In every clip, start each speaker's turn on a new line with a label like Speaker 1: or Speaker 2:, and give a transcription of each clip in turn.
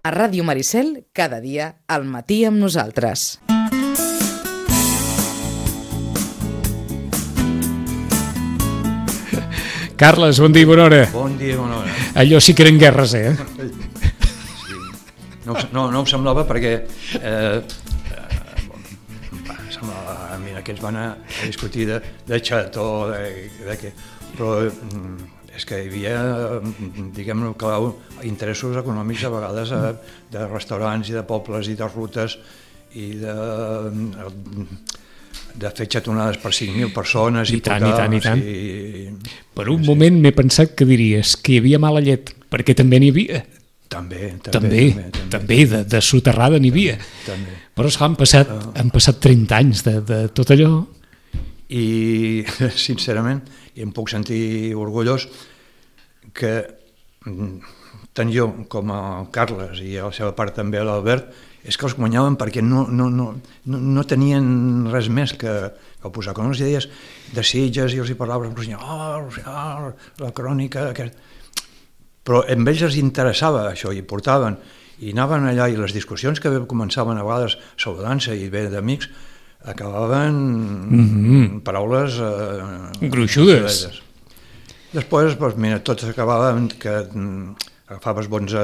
Speaker 1: A Ràdio Maricel, cada dia, al matí amb nosaltres.
Speaker 2: Carles, bon dia i bona hora.
Speaker 3: Bon dia i bona hora.
Speaker 2: Allò sí que eren guerres, eh?
Speaker 3: Sí. No ho semblava perquè semblava, mira, que ens van a discutir de xató, però és que hi havia, diguem-ne, interessos econòmics a vegades de restaurants i de pobles i de rutes i de fer xatonades per 5.000 persones i
Speaker 2: tant.
Speaker 3: I...
Speaker 2: Per un moment m'he pensat que diries que hi havia mala llet, perquè també n'hi havia. També de soterrada n'hi havia.
Speaker 3: També.
Speaker 2: Però han passat 30 anys de tot allò.
Speaker 3: I, sincerament, em puc sentir orgullós que tant jo com el Carles i a la seva part també l'Albert és que els guanyaven perquè no tenien res més que posar. Quan els deies de Sitges i els hi parlaves, la crònica... Però a ells els interessava això i portaven, i anaven allà i les discussions que començaven a vegades saludant-se i bé d'amics acabaven paraules
Speaker 2: gruixudes.
Speaker 3: Després, mira, tot acabava que agafaves bons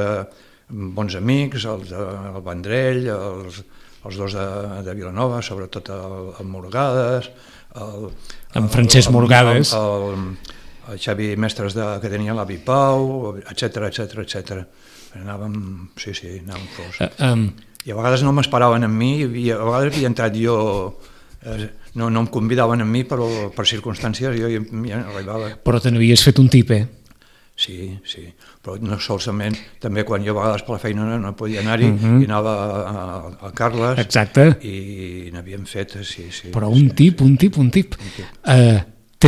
Speaker 3: amics, el Vendrell, els dos de Vilanova, sobretot el Morgades,
Speaker 2: en Francesc Morgades,
Speaker 3: el Xavi Mestres que tenia l'Avi Pau, etcètera. Anàvem forts. I a vegades no m'esperaven amb mi, i a vegades havia entrat jo, no em convidaven amb mi, però per circumstàncies jo ja arribava.
Speaker 2: Però te n'havies fet un tip, eh?
Speaker 3: Sí, però no solament, també quan jo a vegades per la feina no podia anar-hi, i anava al Carles.
Speaker 2: Exacte.
Speaker 3: I n'havíem fet, sí.
Speaker 2: Però un tip.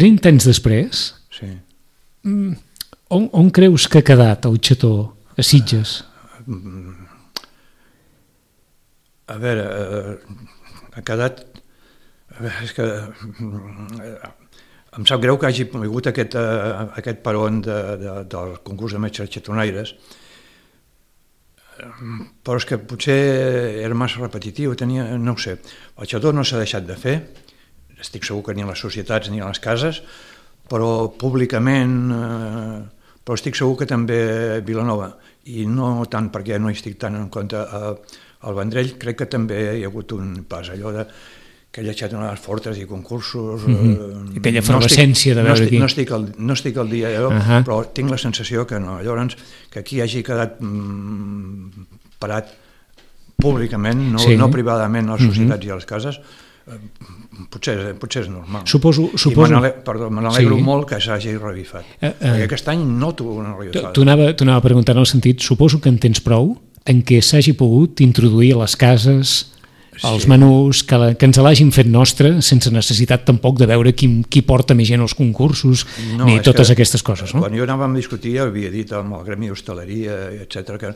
Speaker 2: 30 anys després,
Speaker 3: sí.
Speaker 2: On creus que ha quedat el xató a Sitges?
Speaker 3: A veure, ha quedat... És que em sap greu que hagi hagut aquest peron del concurs de metges xatonaires, però és que potser era massa repetitiu, no ho sé. El xató no s'ha deixat de fer, estic segur que ni a les societats ni a les cases, però públicament, però estic segur que també a Vilanova, i no tant perquè no hi estic tant en compte al Vendrell, crec que també hi ha hagut un pas, allò d'aquelles xatonades fortes i concursos...
Speaker 2: Aquella efervescència de veure aquí.
Speaker 3: No estic al dia, però tinc la sensació que no. Llavors, que aquí hagi quedat parat públicament, no privadament a les societats i a les cases, potser és normal.
Speaker 2: Suposo...
Speaker 3: Me n'alegro molt que s'hagi revifat. Perquè aquest any noto una revifada.
Speaker 2: T'ho anava a preguntar en el sentit, suposo que en tens prou en què s'hagi pogut introduir a les cases els menús, que ens l'hagin fet nostre, sense necessitat tampoc de veure qui porta més gent als concursos, ni totes aquestes coses, no?
Speaker 3: Quan jo anàvem a discutir, havia dit amb el Gremi d'Hostaleria, etcètera, que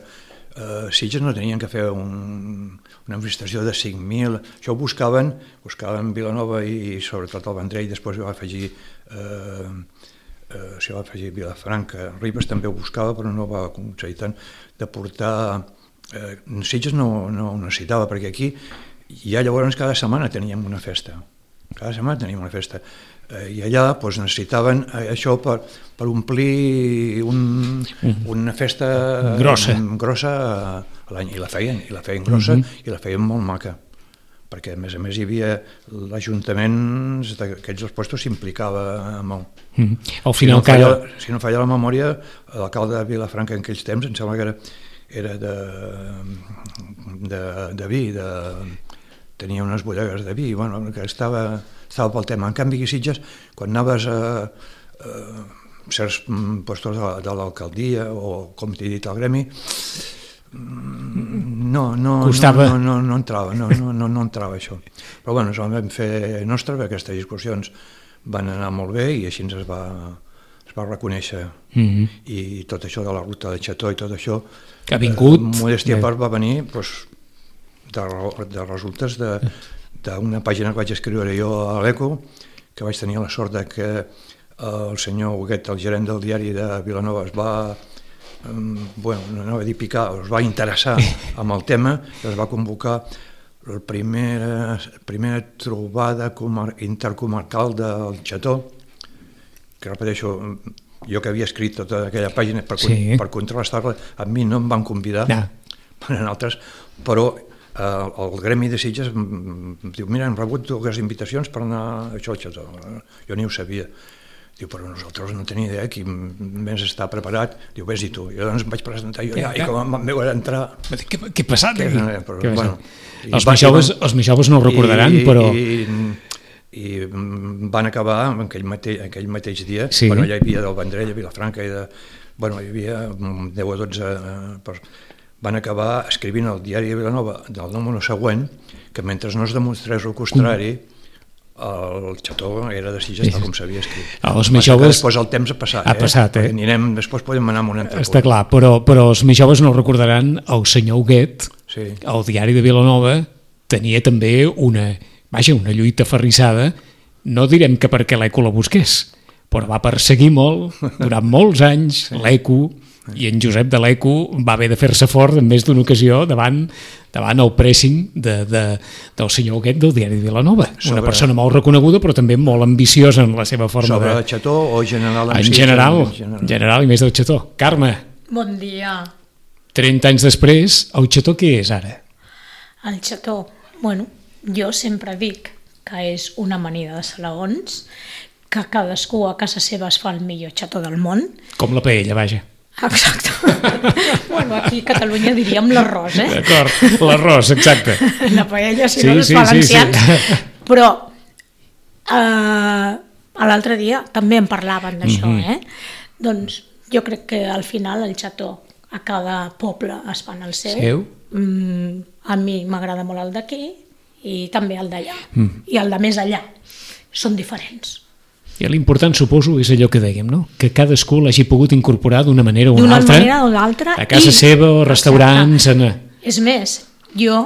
Speaker 3: Sitges no tenien que fer una manifestació de 5.000, això ho buscaven Vilanova i sobretot el Vendrell, després ho va afegir Vilafranca, Ribes també ho buscava però no va aconseguir tant de portar... Sitges no ho necessitava perquè aquí ja llavors cada setmana teníem una festa, i allà necessitaven això per omplir una festa grossa a l'any, i la feien grossa i la feien molt maca, perquè a més hi havia l'Ajuntament d'aquests dels puestos s'implicava molt. Si no falla la memòria, l'alcalde de Vilafranca en aquells temps em sembla que era de vi, tenia unes bodegues de vi, que estava pel tema. En canvi, a Sitges, quan anaves a certs puestos de l'alcaldia o, com t'he dit, al gremi, no entrava això. Però bueno, ens ho vam fer nostre, perquè aquestes discussions van anar molt bé i així es va reconèixer. I tot això de la ruta de Xató i tot això,
Speaker 2: que ha vingut,
Speaker 3: modèstia a part, va venir de resultes d'una pàgina que vaig escriure jo a l'Eco, que vaig tenir la sort que el senyor Huguet, el gerent del diari de Vilanova, es va bueno, no anava a dir picar, es va interessar amb el tema i es va convocar la primera trobada intercomarcal del Xató, que repeteixo, jo que havia escrit tota aquella pàgina per contrarrestar-la, a mi no em van convidar, en altres, però el Gremi de Sitges diu, mira, hem rebut 2 invitacions per anar a això al Xató. Jo ni ho sabia. Diu, però nosaltres no tenia idea, qui més està preparat. Diu, vés-hi tu. Jo doncs em vaig presentar jo i com em veu entrar...
Speaker 2: Què ha passat aquí?
Speaker 3: Els
Speaker 2: més joves no ho recordaran, però...
Speaker 3: I van acabar aquell mateix dia, bueno, ja hi havia del Vendrell, a Vilafranca, bueno, hi havia 10 o 12... Van acabar escrivint al diari de Vilanova del número següent que mentre no es demostrés el contrari, el Xató era de Sitges tal com s'havia escrit.
Speaker 2: Els més joves...
Speaker 3: Després el temps ha passat, després podem anar a un altre punt.
Speaker 2: Està clar, però els més joves no recordaran el senyor Huguet, el diari de Vilanova, tenia també una lluita aferrissada, no direm que perquè l'ECO la busqués, però va perseguir molt, durant molts anys, l'ECO, i en Josep de l'ECO va haver de fer-se fort en més d'una ocasió davant el pressing del senyor Huguet del diari de Vilanova. Una persona molt reconeguda però també molt ambiciosa en la seva forma
Speaker 3: de... Sobre el Xató o general?
Speaker 2: En general i més del Xató. Carme.
Speaker 4: Bon dia.
Speaker 2: 30 anys després, el Xató què és ara?
Speaker 4: El Xató, bueno, jo sempre dic que és una amanida de salaons, que cadascú a casa seva es fa el millor Xató del món.
Speaker 2: Com la paella, vaja.
Speaker 4: Exacte. Bueno, aquí a Catalunya diríem l'arròs,
Speaker 2: D'acord, l'arròs, exacte.
Speaker 4: La paella, si no, els valencians. Però l'altre dia també en parlaven d'això, Doncs jo crec que al final el Xató a cada poble es fan el seu. A mi m'agrada molt el d'aquí i també el d'allà. I el de més allà. Són diferents.
Speaker 2: I l'important, suposo, és allò que dèiem, no? Que cadascú l'hagi pogut incorporar d'una manera o una altra.
Speaker 4: D'una manera o l'altra.
Speaker 2: A casa seva, o restaurants...
Speaker 4: És més, jo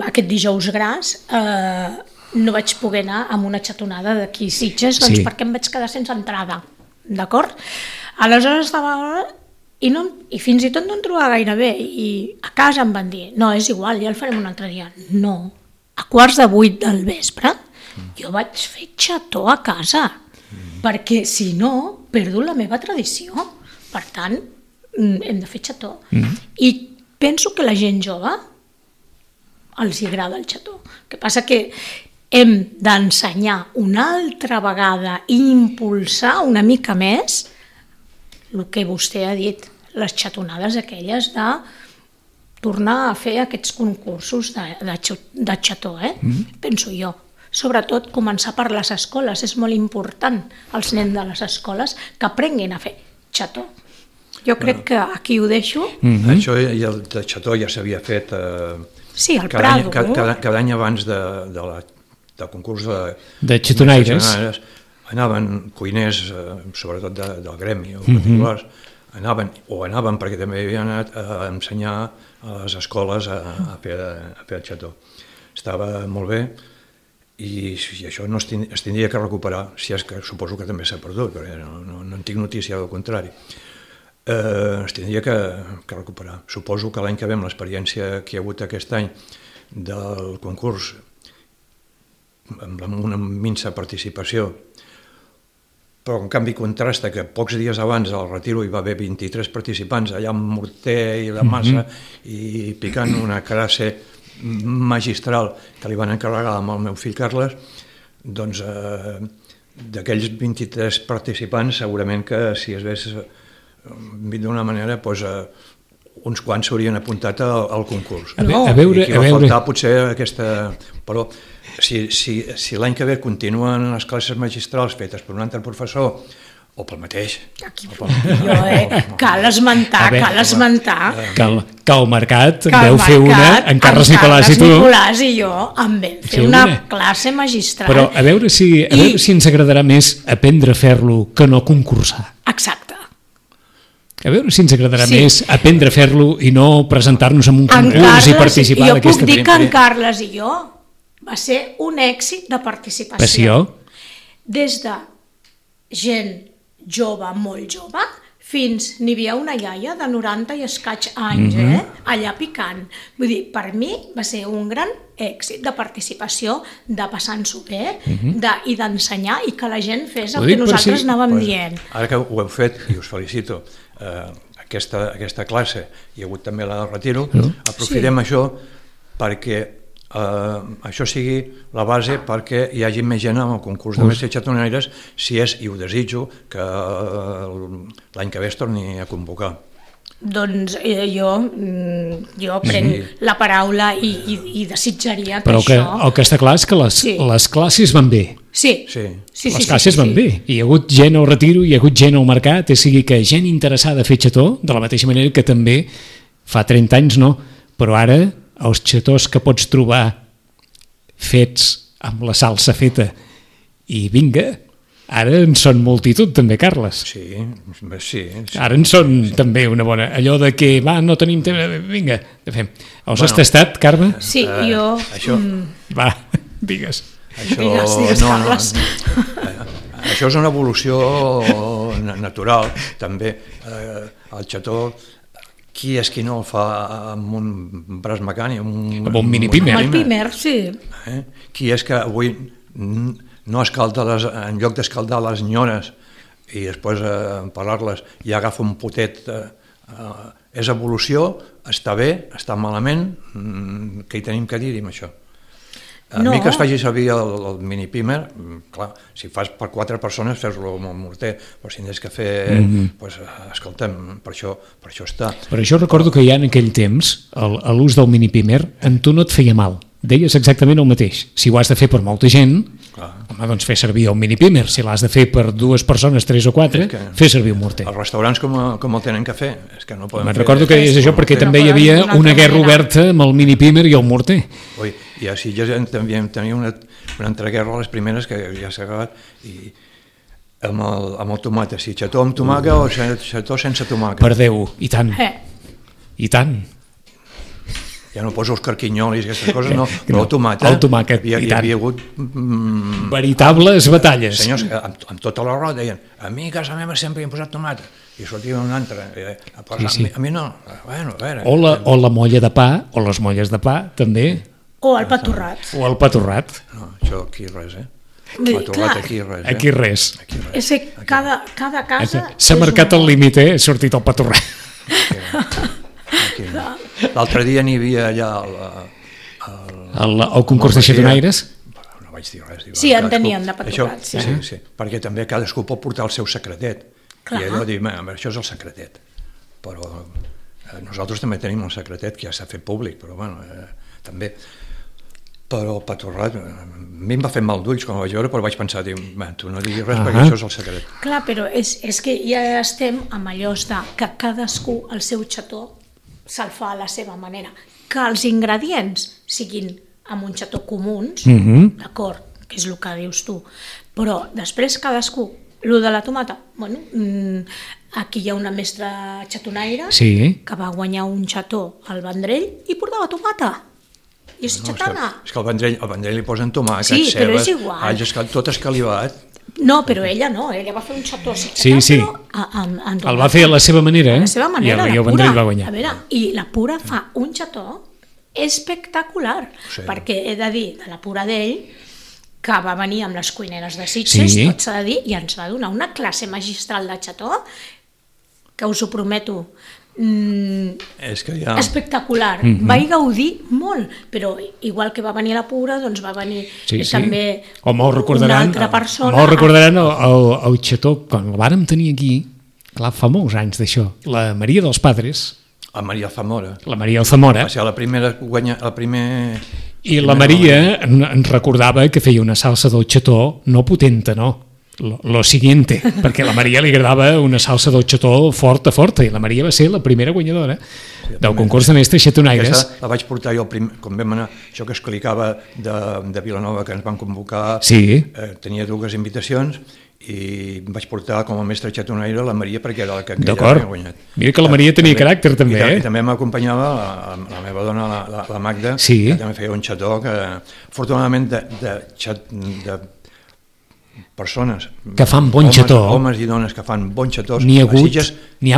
Speaker 4: aquest dijous gras no vaig poder anar amb una xatonada d'aquí Sitges, doncs perquè em vaig quedar sense entrada, d'acord? Aleshores estava... I fins i tot no em trobava gaire bé, i a casa em van dir, no, és igual, ja el farem un altre dia. No, a 7:15 del vespre jo vaig fer xató a casa, perquè si no perdo la meva tradició. Per tant, hem de fer xató. I penso que la gent jove els agrada el xató. El que passa que hem d'ensenyar una altra vegada i impulsar una mica més el que vostè ha dit, les xatonades aquelles de tornar a fer aquests concursos de xató, penso jo. Sobretot començar per les escoles, és molt important els nens de les escoles que aprenguin a fer xató. Jo crec que aquí ho deixo.
Speaker 3: Això el de xató ja s'havia fet cada any abans del concurs
Speaker 2: de xatonaires.
Speaker 3: Anaven cuiners, sobretot del gremi o particulars, anaven perquè també havien anat a ensenyar a les escoles a fer el xató. Estava molt bé. I això no es tindria que recuperar, si és que suposo que també s'ha perdut, perquè no en tinc notícia del contrari. Es tindria que recuperar. Suposo que l'any que ve, amb l'experiència que hi ha hagut aquest any del concurs, amb una minsa participació, però en canvi contrasta que pocs dies abans del retiro hi va haver 23 participants allà amb morter i la massa i picant una classe magistral que li van encarregar amb el meu fill Carles, doncs d'aquells 23 participants segurament que si es vés d'una manera uns quants s'haurien apuntat al concurs. I que va faltar potser aquesta... Però si l'any que ve continuen les classes magistrals fetes per un altre professor o pel mateix.
Speaker 4: Cal esmentar
Speaker 2: que el Mercat veu fer una en Carles Nicolàs i tu.
Speaker 4: Nicolàs i jo em vam fer una classe magistral.
Speaker 2: Però a veure si ens agradarà més aprendre a fer-lo que no concursar.
Speaker 4: Exacte.
Speaker 2: A veure si ens agradarà més aprendre a fer-lo i no presentar-nos en un concurs i participar d'aquesta manera.
Speaker 4: Jo puc dir que en Carles i jo va ser un èxit de participació. Des de gent jove, molt jove, fins n'hi havia una iaia de 90 i escaig anys, allà picant. Vull dir, per mi va ser un gran èxit de participació, de passar-nos-ho bé i d'ensenyar i que la gent fes el que nosaltres anàvem dient.
Speaker 3: Ara que ho heu fet, i us felicito, aquesta classe, hi ha hagut també la del retiro, aprofitem això perquè això sigui la base perquè hi hagi més gent amb el concurs de mestres xatonaires, si és, i ho desitjo, que l'any que ve es torni a convocar.
Speaker 4: Doncs jo prenc la paraula i desitjaria que
Speaker 2: però
Speaker 4: això...
Speaker 2: Però el que està clar és que les classes van bé.
Speaker 4: Sí.
Speaker 2: Les classes van bé. Hi ha hagut gent al retiro, hi ha hagut gent al mercat, o sigui que gent interessada a fer xató, de la mateixa manera que també fa 30 anys no, però ara els xatós que pots trobar fets amb la salsa feta i vinga, ara en són multitud també, Carles.
Speaker 3: Sí.
Speaker 2: Ara en són també una bona... Allò de que, no tenim temps, vinga, fem. Els has tastat, Carme?
Speaker 4: Sí, jo...
Speaker 3: Això...
Speaker 2: Va, digues.
Speaker 4: Digues, Carles.
Speaker 3: Això és una evolució natural, també. El xató... Qui és qui no el fa amb un braç mecànic?
Speaker 2: Amb un mini-pimer.
Speaker 4: Amb el pimer, sí.
Speaker 3: Qui és que avui no escalda en lloc d'escaldar les nyores i després pelar-les i agafa un potet? És evolució, està bé, està malament, què hi tenim que dir amb això? A mi que es faci servir el mini-pimer, clar, si fas per 4 persones fes-lo amb el morter, però si en has que fer, escolta'm, per això està.
Speaker 2: Per això recordo que ja en aquell temps l'ús del mini-pimer en tu no et feia mal, deies exactament el mateix. Si ho has de fer per molta gent, home, doncs fer servir el mini-pimer. Si l'has de fer per 2 persones, 3 o 4, fer servir un morter.
Speaker 3: Els restaurants com el tenen que fer? És que no poden fer...
Speaker 2: Recordo que deies això perquè també hi havia una guerra oberta amb el mini-pimer i el morter.
Speaker 3: I a Sitges tenia una entreguerra a les primeres que ja s'ha acabat i amb el tomàquet, si xató amb tomàquet o xató sense tomàquet.
Speaker 2: Per Déu, i tant. I tant.
Speaker 3: Ja no poso els carquinyolis i aquestes coses, no, però el tomàquet hi havia hagut...
Speaker 2: veritables batalles.
Speaker 3: Senyors, amb tota la roda deien, a mi a casa meva sempre hi hem posat tomàquet, i sortia un altre, a mi no, bueno, a veure...
Speaker 2: O la molla de pa, o les molles de pa, també...
Speaker 4: O el patorrat.
Speaker 2: O el patorrat.
Speaker 3: No, això aquí res, Patorrat aquí res.
Speaker 2: Aquí res.
Speaker 4: És que cada casa...
Speaker 2: S'ha marcat el límit, ha sortit el patorrat.
Speaker 3: L'altre dia n'hi havia allà
Speaker 2: el concurs de xatonaires.
Speaker 3: No vaig dir res.
Speaker 4: Sí, en tenien de patorrat.
Speaker 3: Sí, perquè també cadascú pot portar el seu secretet. I allò dir, això és el secretet. Però nosaltres també tenim un secretet que ja s'ha fet públic, però bueno, també... Però el patorrat, a mi em va fer mal d'ulls quan ho vaig veure, però vaig pensar, tu no diguis res perquè això és el secret.
Speaker 4: Clar, però és que ja estem amb allò que cadascú el seu xató se'l fa a la seva manera. Que els ingredients siguin amb un xató comuns, d'acord, que és el que dius tu, però després cadascú, el de la tomata, bueno, aquí hi ha una mestra xatonaire que va guanyar un xató al Vendrell i portava tomata. I és xatana.
Speaker 3: És que al Vendrell li posen tomàquet, cebes, alls, tot escalivat.
Speaker 4: No, però ella no, ella va fer un xató
Speaker 2: el va fer a la seva manera,
Speaker 4: a la seva manera,
Speaker 2: i el Vendrell va guanyar.
Speaker 4: A veure, i la Pura fa un xató espectacular, perquè he de dir de la Pura d'ell que va venir amb les cuineres de Sitges, tot s'ha de dir, i ens va donar una classe magistral de xató que us ho prometo, espectacular. Vaig gaudir molt, però igual que va venir la Pura, doncs va venir també una altra persona.
Speaker 2: Molt recordaran el xató, quan el vàrem tenir aquí, clar, fa molts anys d'això, la Maria dels Padres.
Speaker 3: La Maria Alzamora.
Speaker 2: La Maria Alzamora.
Speaker 3: Va ser la primera
Speaker 2: I la Maria ens recordava que feia una salsa del xató no potenta, no. Lo siguiente, perquè a la Maria li agradava una salsa del xató forta, i la Maria va ser la primera guanyadora del concurs de mestres xatonaires.
Speaker 3: Aquesta la vaig portar jo, quan vam anar, això que explicava de Vilanova, que ens van convocar, tenia 2 invitacions, i vaig portar com a mestre xatonaire la Maria perquè era la que havia guanyat.
Speaker 2: Mira que la Maria tenia caràcter també.
Speaker 3: I també m'acompanyava la meva dona, la Magda, que també feia un xató que afortunadament de persones
Speaker 2: que fan bon xató,
Speaker 3: homes i dones que fan bons xatós,
Speaker 2: n'hi ha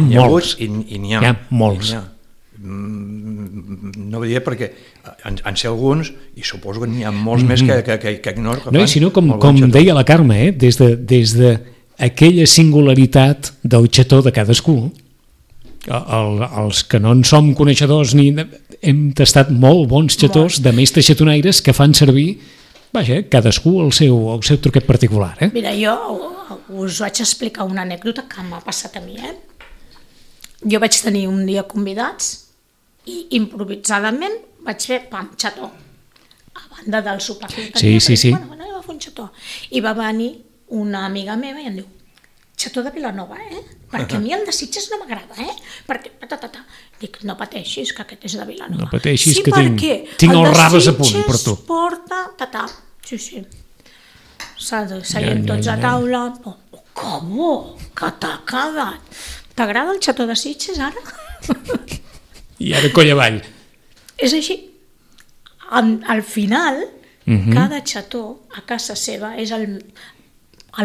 Speaker 2: molts,
Speaker 3: n'hi ha molts. No ho diria perquè en sé alguns i suposo que n'hi ha molts més que no,
Speaker 2: i sinó com deia la Carme, des de aquella singularitat del xató de cadascú. Els que no en som coneixedors hem tastat molt bons xatós de mestres xatonaires que fan servir, vaja, cadascú el seu truquet particular.
Speaker 4: Mira, jo us vaig explicar una anècdota que m'ha passat a mi. Jo vaig tenir un dia convidats i improvisadament vaig fer xató a banda del sopar que tenia.
Speaker 2: Sí.
Speaker 4: Bueno, anem a fer un xató. I va venir una amiga meva i em diu: xató de Vilanova, perquè a mi el de Sitges no m'agrada, perquè... Dic, no pateixis, que aquest és de Vilanova.
Speaker 2: No pateixis,
Speaker 4: sí,
Speaker 2: que tinc els raves a punt per tu.
Speaker 4: Sí, porta... Sí. Seiem tots a taula. Com? Que t'ha quedat? T'agrada el xató de Sitges, ara?
Speaker 2: I ara coll avall.
Speaker 4: És així. Al final, cada xató a casa seva és el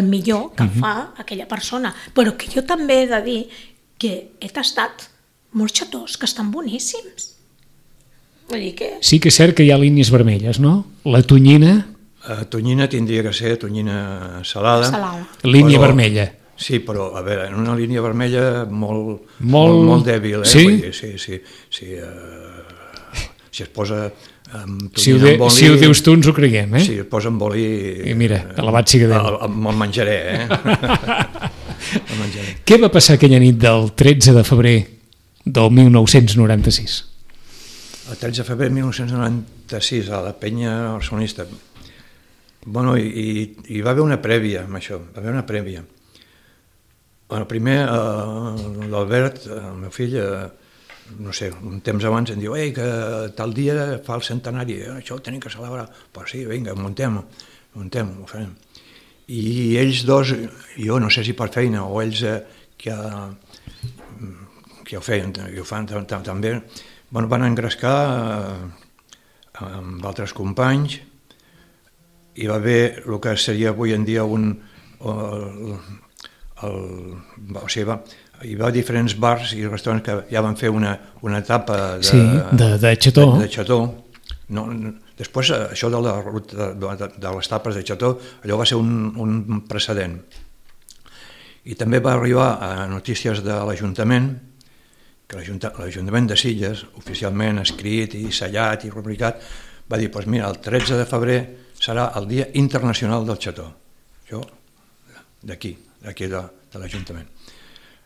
Speaker 4: millor que fa aquella persona, però que jo també he de dir que he tastat molts xatós que estan boníssims. Vull dir que...
Speaker 2: Sí que és cert que hi ha línies vermelles, no? La tonyina...
Speaker 3: Tonyina tindria que ser tonyina salada.
Speaker 2: Línia vermella.
Speaker 3: Sí, però, a veure, en una línia vermella molt dèbil,
Speaker 2: Sí?
Speaker 3: Sí. Si es posa...
Speaker 2: Si ho dius tu ens ho creiem,
Speaker 3: Si es posa amb oli...
Speaker 2: I mira, alabat sigui Déu.
Speaker 3: Me'l menjaré, El menjaré.
Speaker 2: Què va passar aquella nit del 13 de febrer del 1996?
Speaker 3: El 13 de febrer de 1996, a la penya barcelonista. Bueno, hi va haver una prèvia amb això, Bueno, primer, l'Albert, el meu fill, no sé, un temps abans em diu que tal dia fa el centenari, això ho tenim que celebrar. Però sí, vinga, muntem, ho farem. I ells dos, jo no sé si per feina o ells que ho feien i ho fan també, van engrescar amb altres companys. Hi va haver el que seria avui en dia hi va diferents bars i restaurants que ja van fer una etapa
Speaker 2: de xató.
Speaker 3: Després, això de la ruta de les tapes de xató, allò va ser un precedent. I també va arribar a notícies de l'Ajuntament, que l'Ajuntament de Sitges, oficialment escrit i sellat i rubricat, va dir, doncs mira, el 13 de febrer serà el Dia Internacional del Xató. Això, d'aquí de l'Ajuntament.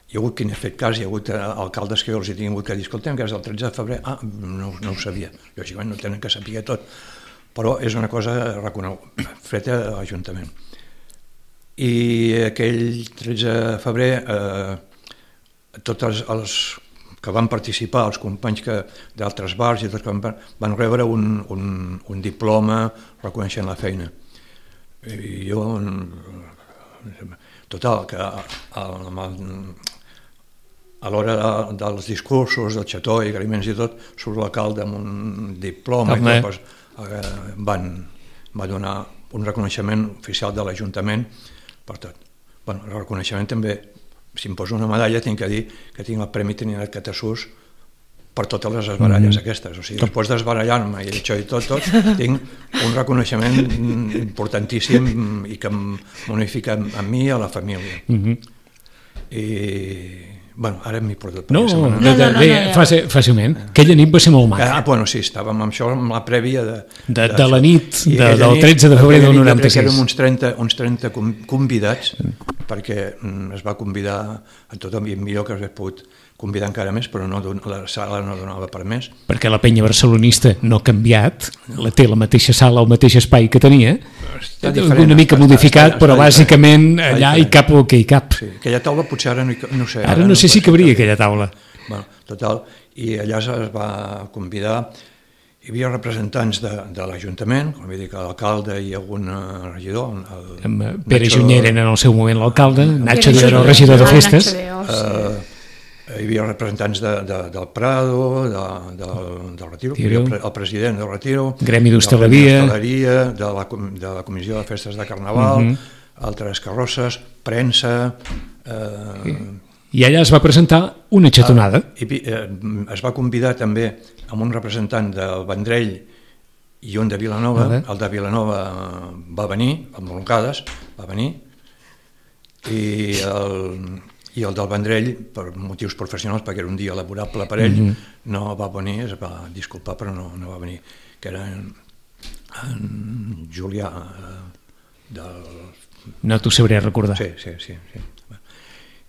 Speaker 3: Hi ha hagut qui n'ha fet cas, hi ha hagut alcaldes que els hi tingut que dir, escoltem, que és el 13 de febrer, no ho sabia, lògicament no tenen que saber tot, però és una cosa feta a l'Ajuntament. I aquell 13 de febrer, tots els que van participar, els companys d'altres bars i tots van rebre un diploma reconeixent la feina. I jo, total, que a l'hora dels discursos, del xató i agraïments i tot, surt l'alcalde amb un diploma i tot, va donar un reconeixement oficial de l'Ajuntament per tot. El reconeixement també, si em poso una medalla, tinc que dir que tinc el Premi Trinitat Catasús per totes les esbaralles aquestes. O sigui, després d'esbarallar-me i això i tot, tinc un reconeixement importantíssim i que em bonifica a mi i a la família. I, bueno, ara m'hi porto.
Speaker 2: No, fàcilment. Aquella nit va ser molt maca.
Speaker 3: Bueno, sí, estàvem amb això, amb la prèvia
Speaker 2: de la nit del 13 de febrer del 96.
Speaker 3: Érem uns 30 convidats, perquè es va convidar a tothom, i millor que s'hagués pogut convidar encara més, però la sala no donava per més.
Speaker 2: Perquè la penya barcelonista no ha canviat, té la mateixa sala, el mateix espai que tenia, una mica modificat, però bàsicament allà hi cap el que hi cap.
Speaker 3: Aquella taula potser ara no sé.
Speaker 2: Ara no sé si cabria aquella taula.
Speaker 3: Total, i allà es va convidar, hi havia representants de l'Ajuntament, com he dit, l'alcalde i algun regidor.
Speaker 2: Pere Junyent era en el seu moment l'alcalde, Nacho era el regidor de festes.
Speaker 3: Hi havia representants del Prado, del Retiro, el president del Retiro,
Speaker 2: Gremi d'Hostaleria,
Speaker 3: de la Comissió de Festes de Carnaval, altres carrosses, premsa...
Speaker 2: I allà es va presentar una xatonada.
Speaker 3: Es va convidar també amb un representant del Vendrell i un de Vilanova. El de Vilanova va venir, amb Moncades, va venir, i el del Vendrell, per motius professionals, perquè era un dia laborable per ell, no va venir, es va disculpar, però no va venir, que era en Julià del...
Speaker 2: No t'ho sabré recordar.
Speaker 3: Sí.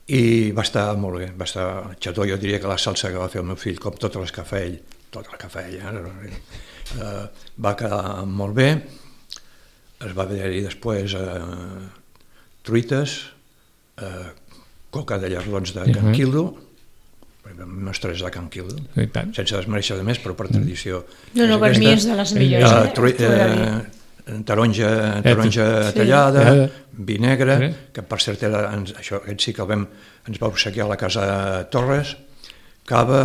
Speaker 3: I va estar molt bé, va estar xató. Jo diria que la salsa que va fer el meu fill, com tot el que fa ell, va quedar molt bé. Es va haver-hi després truites, coca de llardons de Can Quildo, nostre és de Can Quildo, sense desmereixer de més, però per tradició.
Speaker 4: No, per mi és de les millors.
Speaker 3: Taronja tallada, vi negre, que per cert aquest sí que ens va obsequiar a la casa Torres, cava,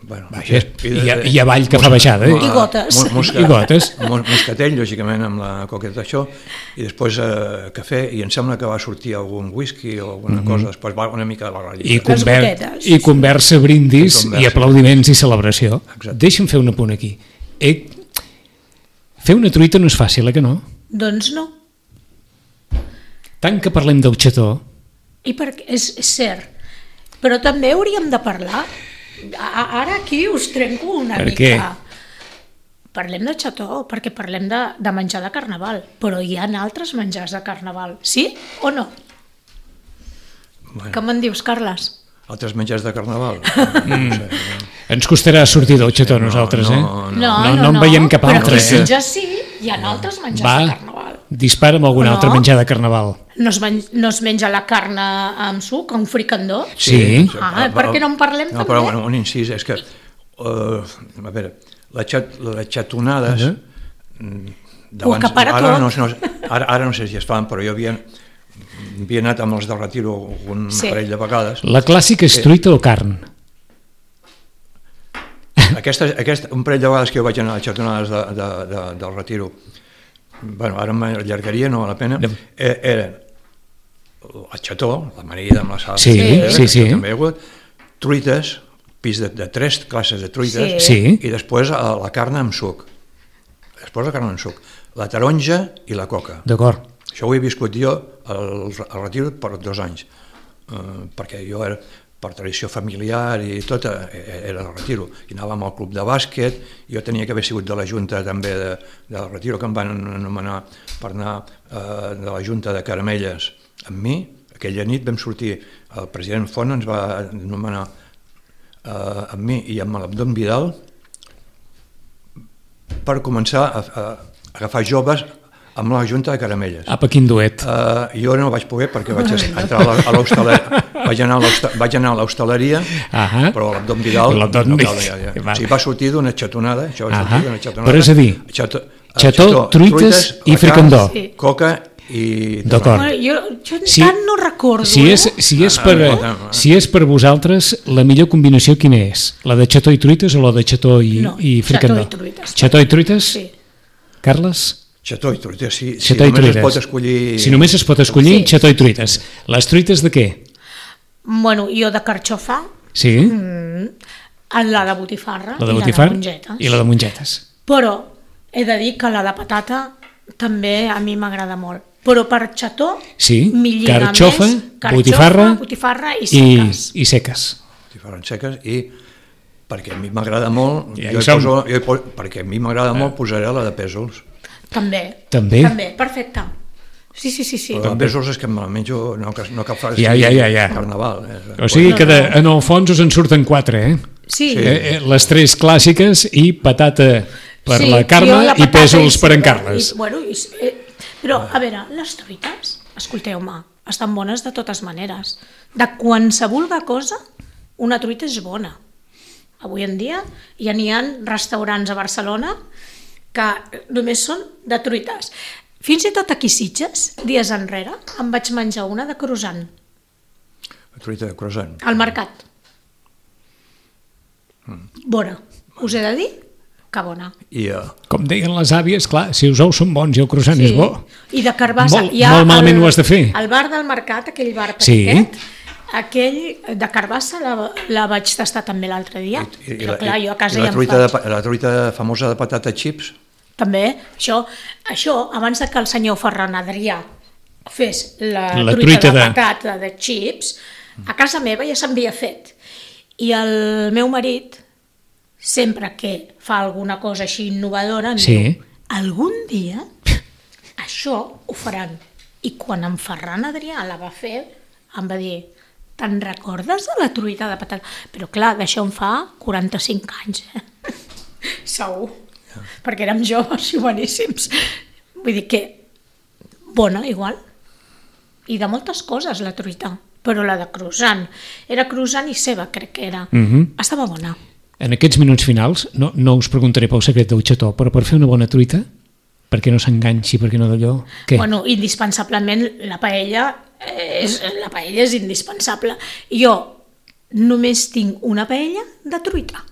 Speaker 2: i avall que fa baixada.
Speaker 4: I gotes.
Speaker 3: Moscatell, lògicament, amb la coqueta d'això, i després cafè, i em sembla que va sortir algun whisky o alguna cosa, després va una mica de la
Speaker 2: ratlla. I conversa, brindis, i aplaudiments i celebració. Deixa'm fer un apunt aquí. Fer una truita no és fàcil, que no?
Speaker 4: Doncs no.
Speaker 2: Tant que parlem del xató...
Speaker 4: És cert, però també hauríem de parlar. Ara aquí us trenco una mica. Per què? Parlem de xató, perquè parlem de menjar de carnaval, però hi ha altres menjars de carnaval, sí o no? Què me'n dius, Carles?
Speaker 3: Altres menjars de carnaval?
Speaker 2: Ens costarà sortir del xató nosaltres,
Speaker 4: No
Speaker 2: en veiem cap altre.
Speaker 4: Però aquí ja sí, hi ha altres menjars de carnaval.
Speaker 2: Dispara amb algun altre menjar de carnaval.
Speaker 4: No es menja la carn amb suc, un fricandó?
Speaker 2: Sí.
Speaker 4: Per què no en parlem també?
Speaker 3: Però un incís, és que, a veure, les xatonades...
Speaker 4: Ho acapara tot.
Speaker 3: Ara no sé si es fan, però jo havia anat amb els del Retiro un parell de vegades.
Speaker 2: La clàssica és truita o carn?
Speaker 3: Un parell de vegades que jo vaig anar a les xatonades del Retiro, ara m'allargaria, no val la pena, era el xató, l'amanida amb la sal, truites, pis de 3 classes de truites, i després la carn amb suc. La taronja i la coca.
Speaker 2: D'acord.
Speaker 3: Això ho he viscut jo al Retiro per 2 anys, perquè jo era, per tradició familiar i tot, era al Retiro, i anàvem al club de bàsquet. Jo tenia que haver sigut de la Junta també del Retiro, que em van anomenar per anar de la Junta de Caramelles amb mi. Aquella nit vam sortir, el president Font ens va anomenar amb mi i amb l'Abdon Vidal per començar a agafar joves amb la Junta de Caramelles.
Speaker 2: Apa, quin duet.
Speaker 3: Jo no vaig poder perquè vaig entrar a l'hostaleria, vaig anar a l'hostaleria, però l'Abdon Vidal va sortir d'una xatonada.
Speaker 2: Però és a dir, xató, truites i fricandó.
Speaker 3: Coca i...
Speaker 2: D'acord.
Speaker 4: Jo tant no recordo.
Speaker 2: Si és per vosaltres, la millor combinació quina és? La de xató i truites o la de xató i fricandó? Xató i truites.
Speaker 4: Sí.
Speaker 2: Carles?
Speaker 3: Xató i truites, si només es pot escollir...
Speaker 2: Si només es pot escollir, xató i truites. Les truites de què?
Speaker 4: Bueno, jo de carxofa.
Speaker 2: Sí.
Speaker 4: La de botifarra
Speaker 2: i la de mongetes.
Speaker 4: Però he de dir que la de patata també a mi m'agrada molt. Però per xató m'hi lliga més botifarra i seques.
Speaker 2: I seques.
Speaker 3: Botifarra i seques i... perquè a mi m'agrada molt, perquè a mi m'agrada molt posaré la de pèsols.
Speaker 4: També, perfecte. Sí.
Speaker 3: Però de pèsols és que me la menjo, no cal fer carnaval.
Speaker 2: O sigui que en el fons us en surten 4,
Speaker 4: Sí.
Speaker 2: Les 3 clàssiques i patata per la Carme i pèsols per en Carles.
Speaker 4: Però, a veure, les truites, escolteu-me, estan bones de totes maneres. De qualsevol cosa, una truita és bona. Avui en dia ja n'hi ha restaurants a Barcelona que només són de truites. Fins i tot aquí a Sitges, dies enrere, em vaig menjar una de croissant.
Speaker 3: Truita de croissant.
Speaker 4: Al mercat. Bona. Us he de dir que bona.
Speaker 3: I,
Speaker 2: Com deien les àvies, clar, si els ous són bons i el croissant és bo.
Speaker 4: I de carbassa.
Speaker 2: Molt malament ho has de fer.
Speaker 4: El bar del mercat, aquell bar
Speaker 2: Sí.
Speaker 4: petitet, aquell de carbassa la vaig tastar també l'altre dia. Però clar, jo a casa ja em faig.
Speaker 3: la truita famosa de patata chips,
Speaker 4: També, això, abans de que el senyor Ferran Adrià fes la
Speaker 2: La
Speaker 4: truita
Speaker 2: truita
Speaker 4: de
Speaker 2: de-
Speaker 4: patata de chips, a casa meva ja s'havia fet. I el meu marit, sempre que fa alguna cosa així innovadora, em
Speaker 2: Sí.
Speaker 4: diu, algun dia això ho faran. I quan en Ferran Adrià la va fer, em va dir, te'n recordes de la truita de patata? Però clar, d'això en fa 45 anys, segur, perquè érem joves i boníssims. Vull dir que bona, igual. I de moltes coses, la truita. Però la de croissant. Era croissant i ceba, crec que era. Estava bona.
Speaker 2: En aquests minuts finals, no us preguntaré pel secret del xató, però per fer una bona truita, perquè no s'enganxi, perquè no d'allò... Què?
Speaker 4: Bueno, indispensablement la paella és indispensable. Jo només tinc una paella de truita.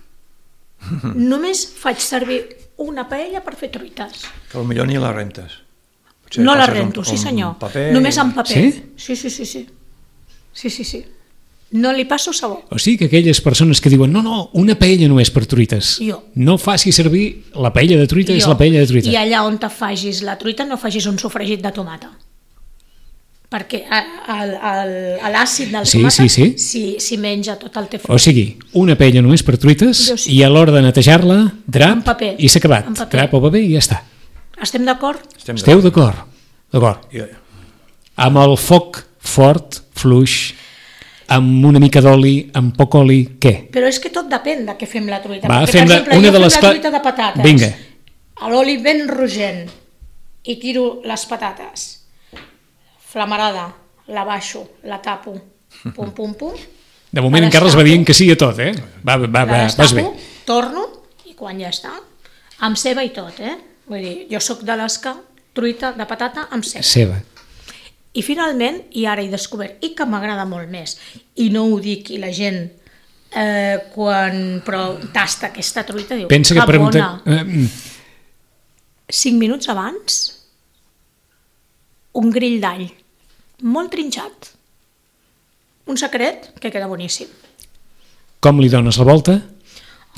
Speaker 4: Només faig servir una paella per fer truites.
Speaker 3: que potser ni la rentes. Potser
Speaker 4: No la
Speaker 3: passes
Speaker 4: rento, sí senyor.
Speaker 3: paper
Speaker 4: Només en paper.
Speaker 2: Sí?
Speaker 4: Sí. No li passo sabó.
Speaker 2: O sigui que aquelles persones que diuen no, una paella només per truites.
Speaker 4: Jo.
Speaker 2: No faci servir la paella de truita, és
Speaker 4: Jo.
Speaker 2: la paella de truita.
Speaker 4: I allà on te facis la truita no facis un sofregit de tomata. Perquè l'àcid del
Speaker 2: Sí,
Speaker 4: tomata
Speaker 2: sí.
Speaker 4: si menja tot el teu
Speaker 2: O sigui, una paella només per truites
Speaker 4: Jo sí.
Speaker 2: i a l'hora de netejar-la, drap
Speaker 4: En paper.
Speaker 2: i s'ha acabat.
Speaker 4: En paper.
Speaker 2: Drap o paper i ja està.
Speaker 4: Estem d'acord?
Speaker 2: Esteu d'acord? D'acord. Amb el foc fort, fluix, amb una mica d'oli, amb poc oli, què?
Speaker 4: Però és que tot depèn de què fem la truita.
Speaker 2: Va,
Speaker 4: Perquè,
Speaker 2: fem
Speaker 4: per exemple,
Speaker 2: una
Speaker 4: jo
Speaker 2: de
Speaker 4: fem
Speaker 2: les
Speaker 4: la
Speaker 2: cla-
Speaker 4: truita de patates.
Speaker 2: Vinga.
Speaker 4: A l'oli ben rogent i tiro les patates. Flamarada, la baixo, la tapo, pum.
Speaker 2: De moment
Speaker 4: La
Speaker 2: en Carles va
Speaker 4: destapo.
Speaker 2: dient que sí a tot, eh? Va,
Speaker 4: La
Speaker 2: vas
Speaker 4: destapo,
Speaker 2: bé.
Speaker 4: torno i quan ja està, amb ceba i tot, Vull dir, jo sóc de les que truita de patata amb ceba.
Speaker 2: Ceba.
Speaker 4: I finalment, i ara he descobert, i que m'agrada molt més, i no ho dic, i la gent quan tasta aquesta truita diu,
Speaker 2: Pensa que pregunta...
Speaker 4: bona. 5 minuts abans, un grill d'all, molt trinxat. Un secret que queda boníssim.
Speaker 2: Com li dones la volta?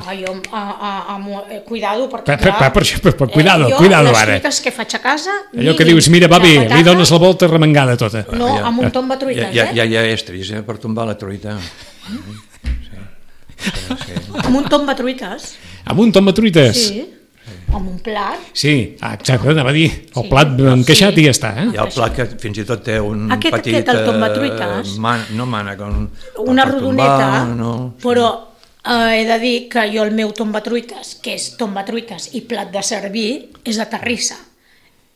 Speaker 4: Ai, cuidado, perquè
Speaker 2: Cuidado
Speaker 4: jo
Speaker 2: ara.
Speaker 4: les truites que faig a casa...
Speaker 2: Allò que dius, mira, va bé, li dones la volta remengada tota.
Speaker 4: No, amb un tomba truites,
Speaker 3: Ja hi ha estris per tombar la truita.
Speaker 4: Amb un tomba truites.
Speaker 2: Amb un tomba truites?
Speaker 4: Sí, amb un plat.
Speaker 2: Sí, exacte, anava a dir, el plat encaixat i ja està,
Speaker 3: Hi ha el plat que fins i tot té un petit...
Speaker 4: el tombatruites.
Speaker 3: No mànec,
Speaker 4: Una rodoneta,
Speaker 3: no.
Speaker 4: però he de dir que jo el meu tombatruites, que és tombatruites i plat de servir, és de terrissa.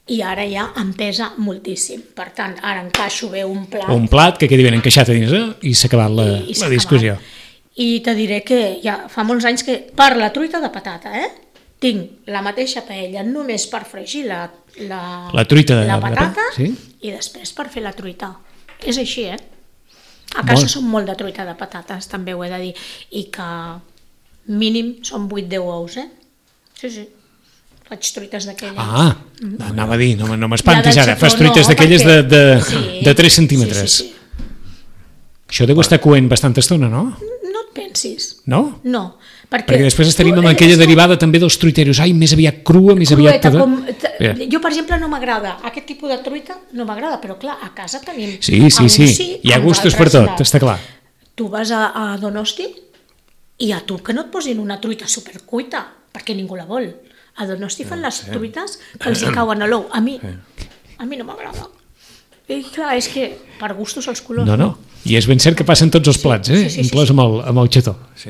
Speaker 4: I ara ja em pesa moltíssim. Per tant, ara encaixo bé un plat.
Speaker 2: Un plat que quedi ben encaixat a dins i s'ha acabat la discussió.
Speaker 4: I te diré que ja fa molts anys que per la truita de patata, tinc la mateixa paella només per fregir la
Speaker 2: truita de
Speaker 4: patata
Speaker 2: sí?
Speaker 4: i després per fer la truita. És així, A casa som molt de truita de patates, també ho he de dir, i que mínim són 8-10 ous, Sí. Faig truites d'aquelles.
Speaker 2: Anava a dir, no m'espantis
Speaker 4: Ja
Speaker 2: ara,
Speaker 4: de
Speaker 2: fas
Speaker 4: xató,
Speaker 2: truites
Speaker 4: no,
Speaker 2: d'aquelles
Speaker 4: perquè-
Speaker 2: de 3 centímetres.
Speaker 4: Sí.
Speaker 2: Això deu estar coent bastanta estona, no?
Speaker 4: No et pensis.
Speaker 2: No?
Speaker 4: No,
Speaker 2: Perquè després estaríem amb aquella derivada també dels truiteros. Ai, més aviat crua, més aviat...
Speaker 4: Jo, per exemple, no m'agrada. Aquest tipus de truita no m'agrada, però clar, a casa tenim...
Speaker 2: Sí. Hi ha gustos per tot, està clar.
Speaker 4: Tu vas a Donosti i a tu que no et posin una truita supercuita, perquè ningú la vol. A Donosti fan les truites que els hi cauen a l'ou. A mi no m'agrada. I clar, és que per gustos els colors.
Speaker 2: No. I és ben cert que passen tots els plats,
Speaker 4: Sí.
Speaker 2: inclòs amb el xató.
Speaker 3: Sí,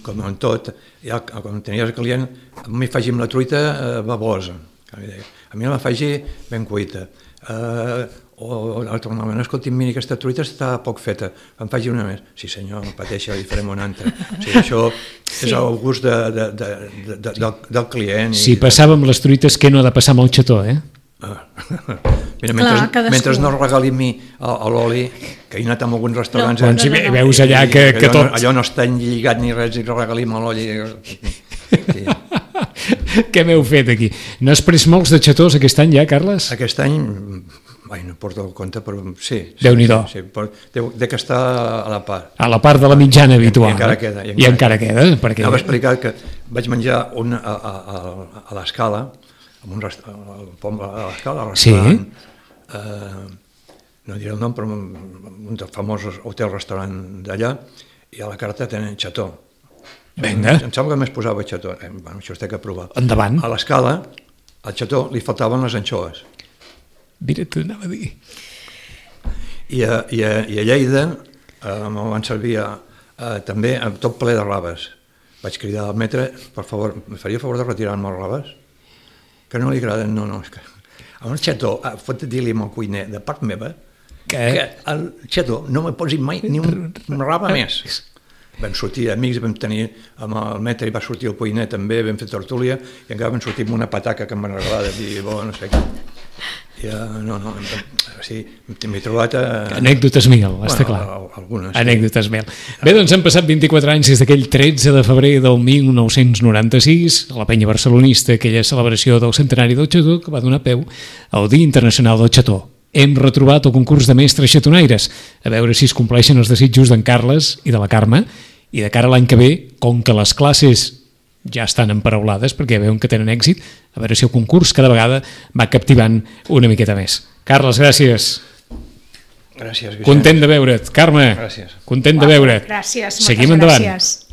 Speaker 3: com en tot, ja, quan tenies el client, a mi faci amb la truita babosa. A mi la faci ben cuita. O normalment, escolti, mira, aquesta truita està poc feta, em faci una més. Sí senyor, no pateixi, li farem una altra. O sigui, això és el gust del client.
Speaker 2: Si passàvem les truites, què no ha de passar amb el xató,
Speaker 3: Mira,
Speaker 4: Clar,
Speaker 3: mentre no regali a mi l'oli, que he anat a alguns restaurants...
Speaker 2: Doncs veus allà que tot...
Speaker 3: Allò no està lligat ni res, i regali-me l'oli. Sí.
Speaker 2: Què m'heu fet aquí? N'has pres molts de xatós aquest any ja, Carles?
Speaker 3: Aquest any, no porto el compte, però sí.
Speaker 2: Déu-n'hi-do.
Speaker 3: Sí, dec estar a la part.
Speaker 2: A la part de la mitjana habitual.
Speaker 3: I encara queda.
Speaker 2: I encara queda. Perquè...
Speaker 3: Anava a explicar que vaig menjar a l'Escala, a l'Escala, al restaurant, no diré el nom, però un dels famosos hotel-restaurant d'allà, i a la carta tenen xató.
Speaker 2: Vinga.
Speaker 3: Em sembla que més posava xató. Això es té que provar.
Speaker 2: Endavant.
Speaker 3: A l'Escala, al xató, li faltaven les anxoves.
Speaker 2: Mira, t'ho anava a dir.
Speaker 3: I a Lleida me'l van servir també tot ple de raves. Vaig cridar al metre, per favor, em faria favor de retirar-me les raves? Que no li agraden, no, és que... A un xató, pot dir-li al cuiner, de part meva, que el xató no me posi mai ni una rava més. Vam sortir amics, vam tenir amb el metre i va sortir el cuiner també, vam fer tertúlia i encara vam sortir amb una pataca que m'han regalat i no sé què. M'he trobat...
Speaker 2: Anècdotes mil, està clar.
Speaker 3: Algunes.
Speaker 2: Anècdotes mil. Bé, doncs han passat 24 anys des d'aquell 13 de febrer del 1996, a la penya barcelonista, aquella celebració del centenari del xató que va donar peu al Dia Internacional del Xató. Hem retrobat el concurs de mestres xatonaires, a veure si es compleixen els desitjos d'en Carles i de la Carme, i de cara a l'any que ve, com que les classes ja estan emparaulades perquè veuen que tenen èxit, a veure si el concurs cada vegada va captivant una miqueta més. Carles, gràcies.
Speaker 3: Gràcies, Vicent.
Speaker 2: Content de veure't. Carme,
Speaker 3: gràcies.
Speaker 2: Content de veure't.
Speaker 4: Gràcies, moltes
Speaker 2: Seguim endavant.
Speaker 4: gràcies.